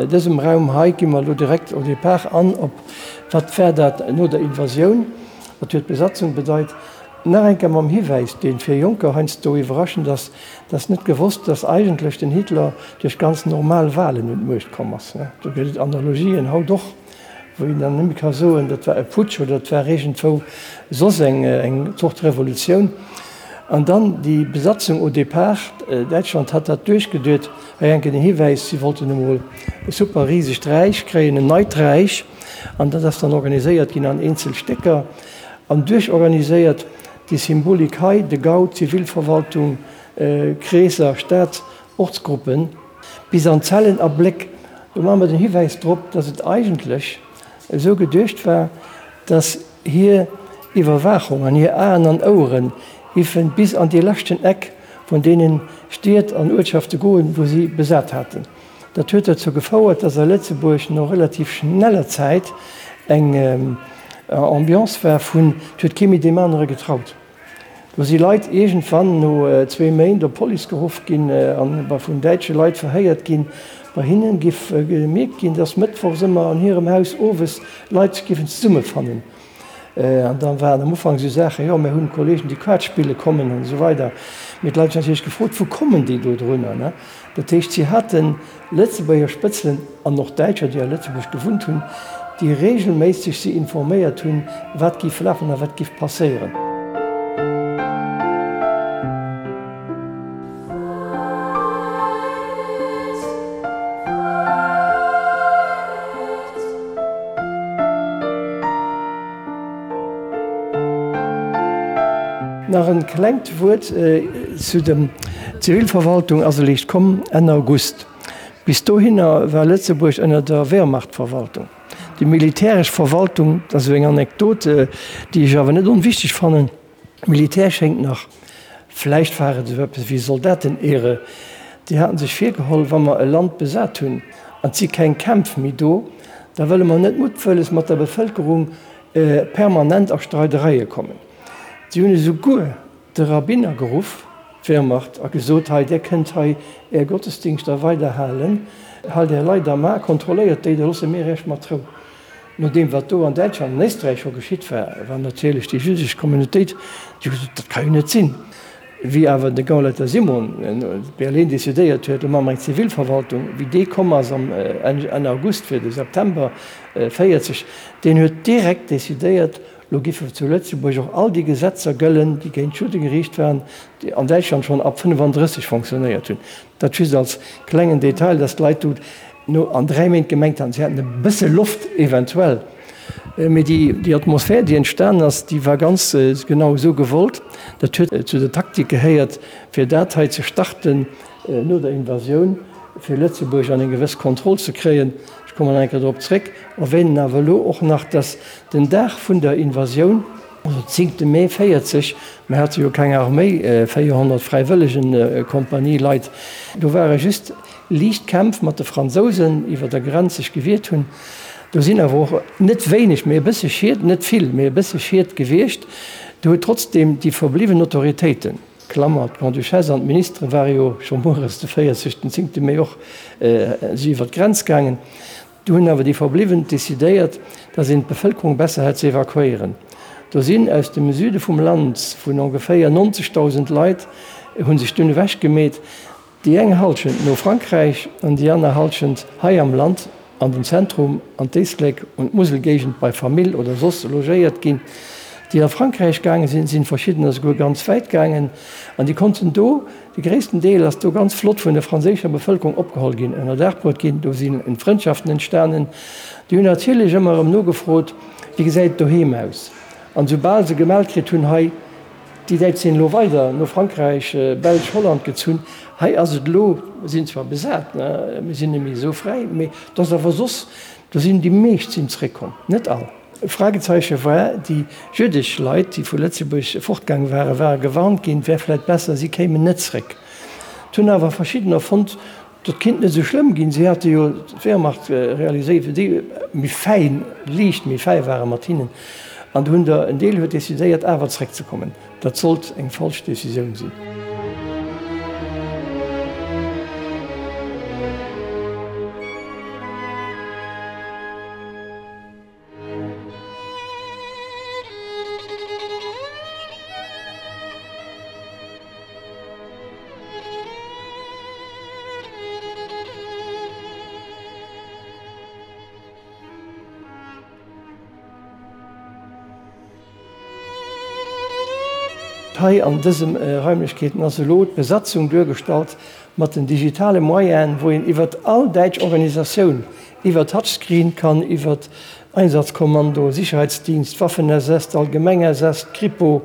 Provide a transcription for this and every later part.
dësem Raum hei gi mer elo direkt au départ an op, wat war dat no der Invasioun, wat huet d'Besatzung bedeit. Nach eng Kéier mam Hiwäis, dee fir Jonker heiansdo iwwerraschend ass, Et ass net gewosst, dass eigentlech den Hitler duerch ganz normal Wahlen un d'Muecht komm ass. Do gëtt et Analogien haut och, wou een dann nëmme ka soen, dat war e Putsch oder dat war iergendwou soss eng Zort Revolutioun. An dann déi Besatzung au départ, Däitschland hat dat duerchgeduet, hei enken den Hiwäis, si wollten emol e super risegt Räich kréien, en neit Räich, an dat ass dann organiséiert ginn an eenzel Stécker an duerchorganiséiert. Déi Symbolik hei, de Gau, d'Zivilverwaltung, Kreesser, Stad, Ortsgruppen, bis an Zellen a Bléck, do maache mer den Hiwäis drop, dass et eigentlech esou geduecht war, dass hir Iwwerwaachung an hir Aen an Ouere giffen bis an dee leschten Eck vun deene Stied an Uertschafte goen, wou si besat haten. Dat huet dozou gefouert, dass a Lëtzebuerg no relativ schneller Zäit eng Ambiance war vun, et huet kee méi deem anere getraut. Do si Leit iergendwann no zwee Méint op d'Police geruff ginn a vun däitsche Leit verhéiert ginn. Bei hinne giff gemierkt ginn, dass mëttwochs ëmmer an hirem Haus owes Leit sech giffen zesummefannen. An da waren am Ufank esou Saachen, jo mir hunn Kollegen, déi Quart spille kommen an esou weider. Mee d'Leit hunn natierlech gefrot, wou kommen déi do drunner, ne? Dat heescht, si hate Lëtzebuerger Spëtzelen an och Däitscher, déi a Lëtzebuerg gewunnt hunn, déi regelméisseg si informéiert hunn, wat géif lafen a wat géif passéieren. Nach en klengt Wuert zu der Zivilverwaltung ass eréischt komm Enn August. Bis dohinner war Lëtzebuerg ënner der Wehrmachtverwaltung. Déi militäresch Verwaltung, dat ass esou eng Anekdot, déi ech awer net onwichteg fannen, Militär schéngt nach, vläicht war et esou eppes wéi Soldatenehre, déi haten sech virgeholl, wa mer e Land besat hunn an et si keng Kämpf méi do, da wëlle mer net muttwëlles mat der Bevëlkerung permanent a Streidereie kommen. Si hunn esouguer de Rabbiner geruff, d'Wehrmacht, a gesot, Hei, där kënnt hei är Gottesdingschter weider halen, halt är Leit am A, kontrolléiert déi, da loosse mir iech mat Rou. No deem, wat do an Däitschland an Éisträich scho geschitt war, war natierlech déi jüddesch Communautéit, déi huet gesot, Dat ka jo net sinn. Wéi awer de Gauleiter Simon Berlin decidéiert huet, lo maache mer eng Zivilverwaltung, wéi dee komm ass am Enn August fir de September 40, deen huet direkt decidéiert, lo giffe zu Lëtzebuerg och all déi Gesetzer gëllen, déi géint d'Judde geriicht waren, déi an Däitschland schonn ab 35 fonctionnéiert hunn. Dat just als klengen Detail, dass d'Leit do no an 3 Méint gemengt haten, si hätten e bësse Loft eventuell. Mee déi Atmosphär, déi entstanen ass, déi war ganz genau esou gewollt. Dat huet zu der Taktik gehéiert, fir dat hei ze starten no der Invasioun, fir Lëtzebuerg an eng gewëss Kontroll ze kréien. Ech kommen nach eng Kéier drop zréck, erwähnen awer elo och nach, dass den Dag vun der Invasioun, also zéngte Mee 40, mir hate jo keng Arméi, 400 Fräiwëllegenkompanie-Leit, do ware just liicht Kämpf mat de Fransousen iwwer der Grenz sech gewiert hunn. Do sinn awer och net wéineg, mee e bësse Schied, net vill, mee e bësse Schied gewiescht. Do huet trotzdeem déi verbliwwen Autoritéiten, Klammer, d'Grande-Duchesse an d'Ministere ware jo scho mueres de 40, den zéngte Mee och si iwwer d'Grenz gaangen, Do hunn awer déi Verbliwwen decidéiert, datt een d'Bevëlkerung besser hätt ze evakuéieren. Do sinn aus dem Süde vum Land vun ongeféier 90.000 Leit hu sech dunn ewech gemeet, déi eng Hallschent no Frankräich an déi aner Hallschent hei am Land an den Zentrum, an d'Éislek und d'Muselgéigend bei Famill oder soss logéiert ginn. Déi a Frankräich gaange sinn, sinn verschiddener souguer ganz wäit gaangen an déi konnten do De gréissten Deel ass do ganz flott vun der franséischer Bevëlkerung opgeholl ginn, ënnerdaach bruet ginn. Do sinn Frëndschaften entstanen. Déi hunn natierlech ëmmer erëm nogefrot, Wéi gesäit et doheem aus? An soubal se gemellt kritt hunn, hei, déi Däitsch sinn elo weider no Frankräich, Belsch, Holland gezunn, hei ass et elo, mir sinn zwar besat, mir sinn net méi esou fräi, mee et ass awer soss, do sinn déi meescht sinn zréckkomm, net all. E Fragezeiche war, déi jüddesch Leit, déi vu Lëtzebuerg fortgaang waren, ware gewarnt ginn, et wär vläit besser, si kéimen net zréck. Et hunn awer verschiddener fonnt, dat kinnt net esou schlëmm ginn, si hate jo d'Wehrmacht realiséiert, wéi déi méi fäin, liicht méi fäi ware mat hinnen. An do hunn der en Deel huet decidéiert, awer zréckzekommen. Dat sollt eng falsch Decisioun sinn. Hei an dësem Raimlechkeeten ass elo d'Besatzung duergestallt mat den digitale Moyenen, wou een iwwert all däitsch Organisatioun, iwwer Touchscreen kann iwwert Einsatzkommando, Sicherheitsdienst, Waffen-SS, d'Allgemeng SS, d'Kripo,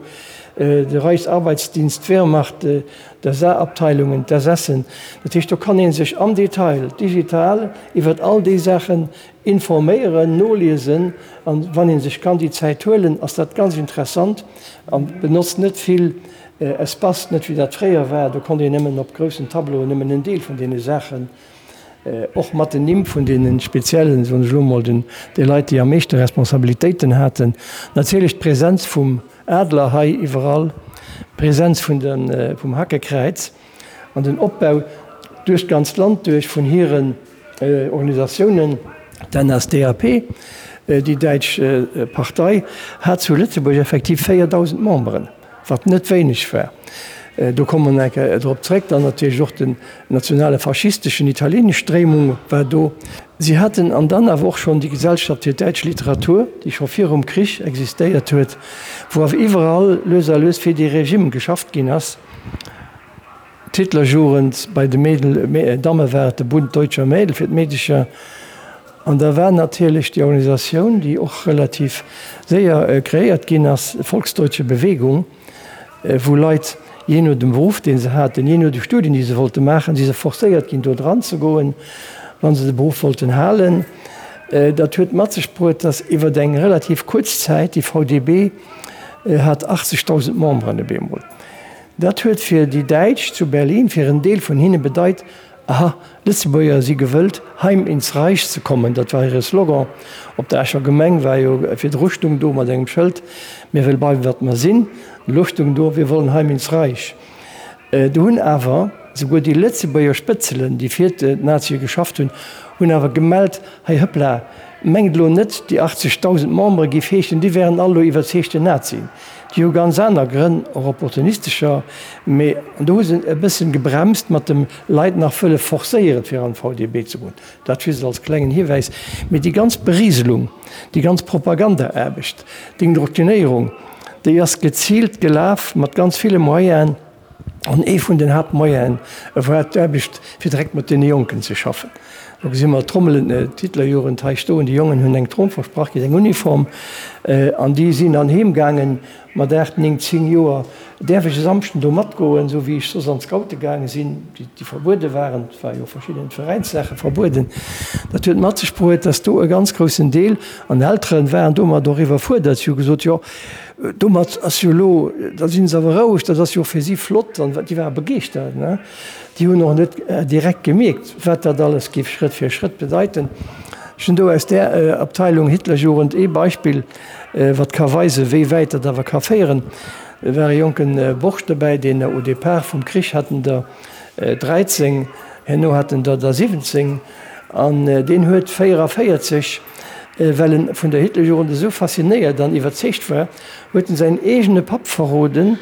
de Reichsarbeitsdienst, d'Wehrmacht, d'SA-Abteilungen, d'SSen. Dat heescht, do kann ee sech am Detail digital iwwert all déi Saachen informéieren, noliesen. An wann ee sech kann déi Zäit huelen, ass dat ganz interessant an benotzt net vill Espace, net wéi dat fréier war, do konnt een nëmmen op groussen Tableauen nëmmen en Deel vun deene Saachen, och mat den Nimm vun deene speziellen, soen ech elo mol, den déi Leit, déi am meeschte Responsabilitéiten haten. Natierlech d'Präsenz vum Adler hei iwwerall, d'Präsenz vun de vum Hakekräiz an den Opbau duerch d'ganzt Land duerch vun hiren Organisatiounen. D'NSDAP, déi däitsch Partei, hat zu Lëtzebuerg effektiv 4.000 Memberen, wat net wéineg war. Do komme mer eng Kéier drop zréck. Dann natierlech och den nationale faschisteschen italienesch Stréimung war do. Si haten an dann awer och schonn déi Gesellschaft fir däitsch Literatur, déi scho virum Krich existéiert huet, wou awer iwwerall lues a lues fir dee Regime geschafft ginn ass. D'Hitlerjugend, bei de Mädel, Damme war et de Bund Deutscher Mädel fir d'Meedecher. An da war natierlech déi Organisatioun, déi och relativ séier kreéiert ginn ass, Volksdeutsche Bewegung, wou Leit, jee no dem Beruff, dee se haten, jee no de Studien, déi se wollte maachen, si se forcéiert ginn, do dran ze goen, wa se de Beruff wollten halen. Dat huet mat sech bruet, datt iwwer eng relativ kuerz Zäit déi VDB hat 80.000 Memberen op eemol. Dat huet fir déi Däitsch zu Berlin, fir en Deel vun hinne bedeit, Aha, Lëtzebuerger si gewëllt, heim ins Reich ze kommen. Dat war hire Slogan. Op der Escher Gemeng war jo virdru stung do mat engem Schëld, Mir wëlle bleiwen, wat mer sinn. Elo stung do, Wir wollen heim ins Reich. Do hunn awer souguer déi Lëtzebuerger Spëtzelen, déi fir d'Nazie geschafft hunn, hunn awer gemellt, Hei hëppla, mengt elo net, déi 80.000 Membere géif heeschen, déi wären all elo iwwerzeegten Nazien. Déi hu ganz aner Grënn, och opportunistescher, mee an do hu se e bëssen gebremst mat dem Leit nach wëlle forcéieren, fir an d'VDB ze goen. Dat just als klengen Hiwäis. Mee déi ganz Berieselung, déi ganz Propagandaaarbecht, d'Indoktrinéierung, déi ass geziilt gelaf mat ganz ville Moyenen. An ee vun den Haaptmoyenen war d'Aarbecht, fir direkt mat deene Jonken ze schaffen. Do gesi mer d'Trommelen, d'Hitlerjugend hei stoen. Déi Jongen hunn eng Tromm versprach kritt, eng Uniform, an déi sinn dann heem gaangen mat 8, 9, 10 Joer. Däerf ech e Samschden do matgoen, esou wéi ech soss an d'Scoute gaange sinn, déi verbuede waren? Et war jo verschidden Veräinssaache verbueden. Dat huet mat sech bruet, dass do e ganz groussen Deel, an Eltere waren domat och iwwerfuerdert, si hu gesot, jo, Domat ass jo elo, da sinn se awer roueg, dat ass jo och fir si flott an déi ware begeeschtert, ne. Déi hunn och net direkt gemierkt, wat dat alles géif Schrëtt fir Schrëtt bedeiten. Ech hunn do aus där Abteilung Hitlerjugend ee Beispill, wat ka weisen, wéi wäit dat awer ka féieren. Et war e jonke Borscht dobäi, deen au départ vum Krich hat en der 13, herno hat en der der 17 an deen huet 44, Well en vun der Hitlerjugend esou faszinéiert an iwwerzeegt war, huet en säin eegene Papp verroden,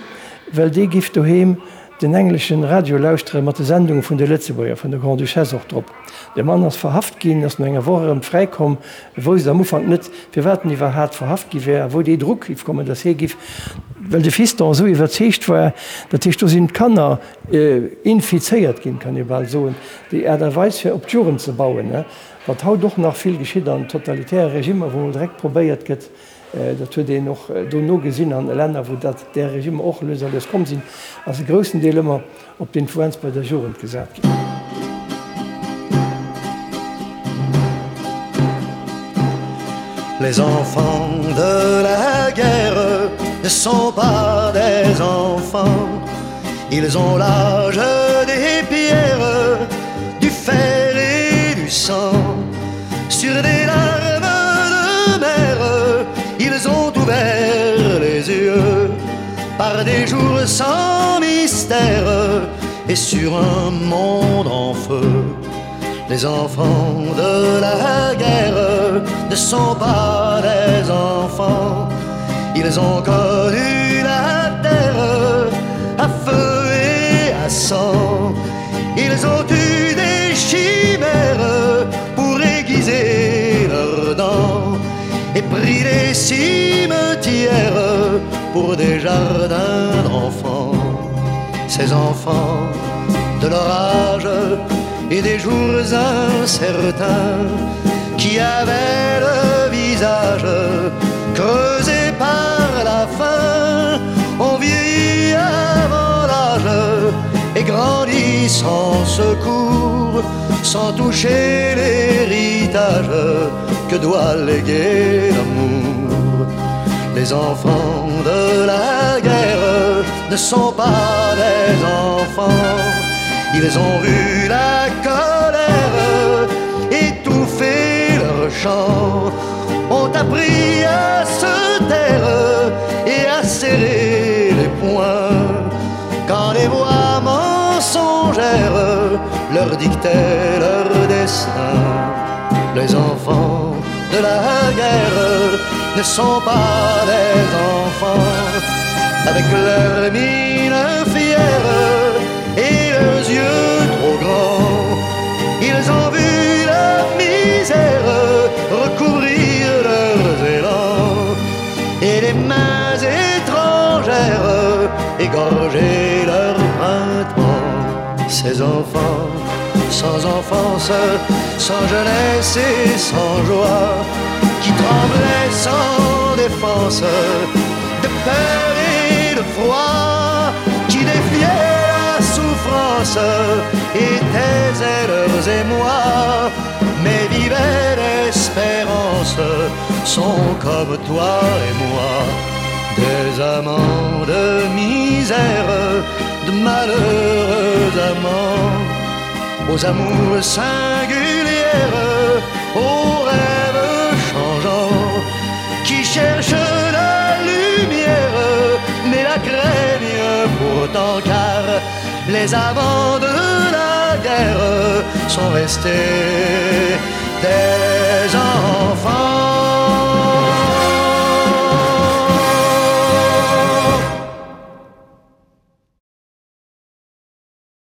well dee giff doheem den engleschen Radio lauschtere mat de Sendunge vun de Lëtzebuerger, vun der Grande-Duchesse och drop. De Mann ass verhaft ginn, ass no enger Woch erëm fräikomm, e wousst am Ufank net, firwat en iwwerhaat verhaft gi wär a wou dee Druck giff kommen, datt hie giff, well de Fiston esou iwwerzeegt war, dat heescht do sinn d'Kanner infizéiert ginn, kann ee bal soen, déi Aart a Weis fir op d'Jugend ze bauen. Wat haut och nach vill geschitt an totalitäre Regimmer, wou mol direkt probéiert gëtt, dat huet een och dono gesinn an Länner, wou dat där Regimmer och lues a lues komm sinn, ass e groussen Deel ëmmer op d'Influenz bei der Jugend gesat ginn. Les enfants de la guerre ne sont pas des enfants Ils ont l'âge des pierres, du fer et du sang Sur des larmes de mer, ils ont ouvert les yeux Par des jours sans mystère et sur un monde en feu Les enfants de la guerre ne sont pas des enfants Ils ont connu la terre à feu et à sang Ils ont eu des chimères pour aiguiser leurs dents Et pris les cimetières. pour des jardins d'enfants. Ces enfants de l'orage et des jours incertains qui avaient le visage creusé par la faim ont vieilli avant l'âge et grandi sans secours, sans toucher l'héritage que doit léguer l'amour. Les enfants de la guerre ne sont pas des enfants, ils ont vu la colère étouffer leur chant, ont appris à se taire et à serrer les poings quand les voix mensongères leur dictaient leur destin. Les enfants de la guerre ne sont pas des enfants avec leur mine fière et leurs yeux trop grands. Ils ont vu la misère recouvrir leurs élans et les mains étrangères égorger leur printemps. Ces enfants sans enfance, sans jeunesse et sans joie, qui tremblaient sans défense, de peur et de froid, qui défiaient la souffrance et taisaient leurs émois, mais vivaient l'espérance, sont comme toi et moi, des amants de misère, de malheureux amants aux amours singulières, aux rêves changeants, qui cherchent la lumière, mais la craignent pourtant car les amants de la guerre sont restés des.